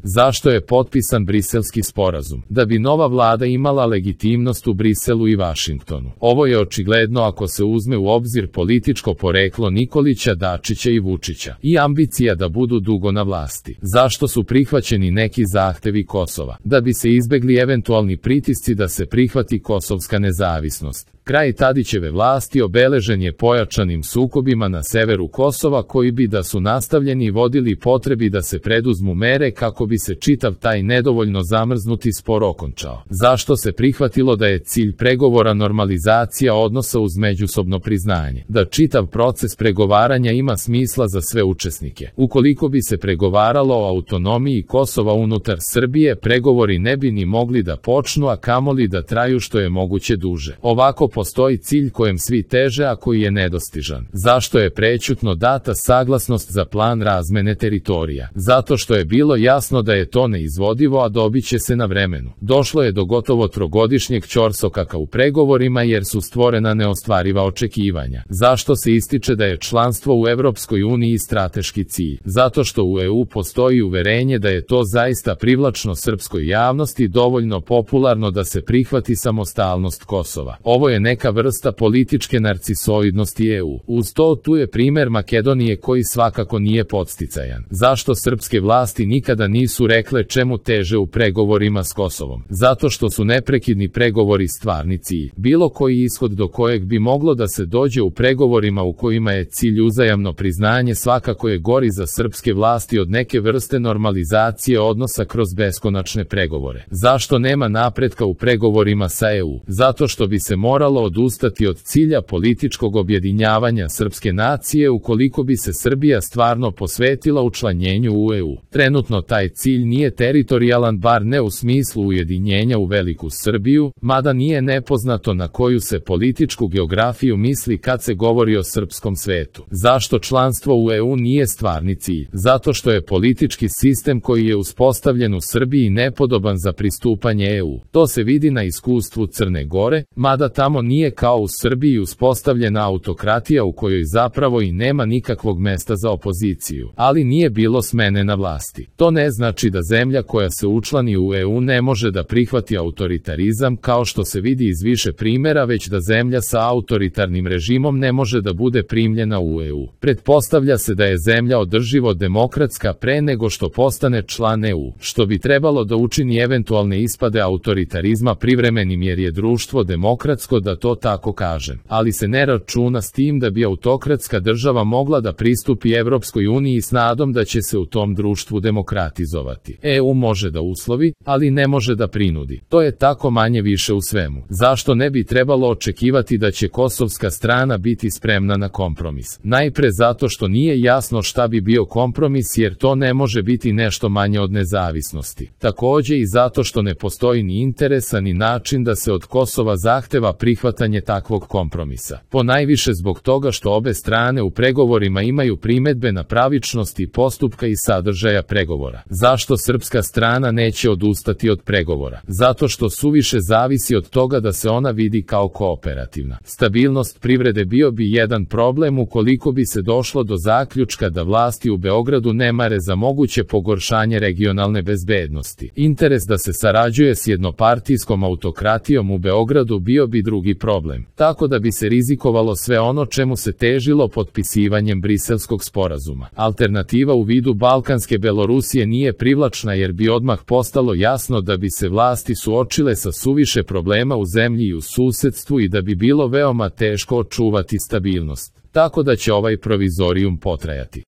Zašto je potpisan Briselski sporazum? Da bi nova vlada imala legitimnost u Briselu i Vašingtonu. Ovo je očigledno ako se uzme u obzir političko poreklo Nikolića, Dačića i Vučića i ambicija da budu dugo na vlasti. Zašto su prihvaćeni neki zahtevi Kosova? Da bi se izbegli eventualni pritisci da se prihvati kosovska nezavisnost. Kraj Tadićeve vlasti obeležen je pojačanim sukobima na severu Kosova koji bi da su nastavljeni vodili potrebi da se preduzmu mere kako bi se čitav taj nedovoljno zamrznuti spor okončao. Zašto se prihvatilo da je cilj pregovora normalizacija odnosa uz međusobno priznanje? Da čitav proces pregovaranja ima smisla za sve učesnike. Ukoliko bi se pregovaralo o autonomiji Kosova unutar Srbije, pregovori ne bi ni mogli da počnu, a kamoli da traju što je moguće duže. Ovako postoji cilj kojem svi teže, a koji je nedostižan. Zašto je prećutno data saglasnost za plan razmene teritorija? Zato što je bilo jasno da je to neizvodivo, a dobit će se na vremenu. Došlo je do gotovo trogodišnjeg ćorsokaka u pregovorima jer su stvorena neostvariva očekivanja. Zašto se ističe da je članstvo u Evropskoj uniji strateški cilj? Zato što u EU postoji uverenje da je to zaista privlačno srpskoj javnosti, dovoljno popularno da se prihvati samostalnost Kosova. Ovo je neka vrsta političke narcisoidnosti EU. Uz to tu je primer Makedonije koji svakako nije podsticajan. Zašto srpske vlasti nikada nisu rekle čemu teže u pregovorima s Kosovom? Zato što su neprekidni pregovori stvarni cilj. Bilo koji ishod do kojeg bi moglo da se dođe u pregovorima u kojima je cilj uzajamno priznanje svakako je gori za srpske vlasti od neke vrste normalizacije odnosa kroz beskonačne pregovore. Zašto nema napretka u pregovorima sa EU? Zato što bi se moralo odustati od cilja političkog objedinjavanja srpske nacije ukoliko bi se Srbija stvarno posvetila učlanjenju u EU. Trenutno taj cilj nije teritorijalan, bar ne u smislu ujedinjenja u veliku Srbiju, mada nije nepoznato na koju se političku geografiju misli kad se govori o srpskom svetu. Zašto članstvo u EU nije stvarni cilj? Zato što je politički sistem koji je uspostavljen u Srbiji nepodoban za pristupanje EU. To se vidi na iskustvu Crne Gore, mada tamo nije kao u Srbiji uspostavljena autokratija u kojoj zapravo i nema nikakvog mesta za opoziciju, ali nije bilo smene na vlasti. To ne znači da zemlja koja se učlani u EU ne može da prihvati autoritarizam kao što se vidi iz više primjera, već da zemlja sa autoritarnim režimom ne može da bude primljena u EU. Pretpostavlja se da je zemlja održivo demokratska pre nego što postane član EU, što bi trebalo da učini eventualne ispade autoritarizma privremenim jer je društvo demokratsko, da to tako kažem, ali se ne računa s tim da bi autokratska država mogla da pristupi Evropskoj uniji s nadom da će se u tom društvu demokratizovati. EU može da uslovi, ali ne može da prinudi. To je tako manje više u svemu. Zašto ne bi trebalo očekivati da će kosovska strana biti spremna na kompromis? Najpre zato što nije jasno šta bi bio kompromis jer to ne može biti nešto manje od nezavisnosti. Takođe i zato što ne postoji ni interesa ni način da se od Kosova zahteva prihvatanje takvog kompromisa. Ponajviše zbog toga što obe strane u pregovorima imaju primedbe na pravičnost i postupka i sadržaja pregovora. Zašto srpska strana neće odustati od pregovora? Zato što suviše zavisi od toga da se ona vidi kao kooperativna. Stabilnost privrede bio bi jedan problem ukoliko bi se došlo do zaključka da vlasti u Beogradu ne mare za moguće pogoršanje regionalne bezbednosti. Interes da se sarađuje s jednopartijskom autokratijom u Beogradu bio bi drugi problem, tako da bi se rizikovalo sve ono čemu se težilo potpisivanjem Briselskog sporazuma. Alternativa u vidu Balkanske Belorusije nije privlačna jer bi odmah postalo jasno da bi se vlasti suočile sa suviše problema u zemlji i u susedstvu i da bi bilo veoma teško očuvati stabilnost. Tako da će ovaj provizorijum potrajati.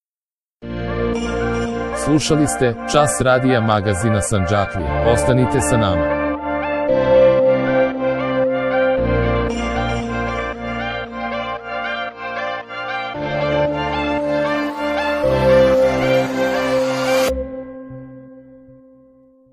Slušali ste Čas radija magazina Sandžaklija. Ostanite sa nama.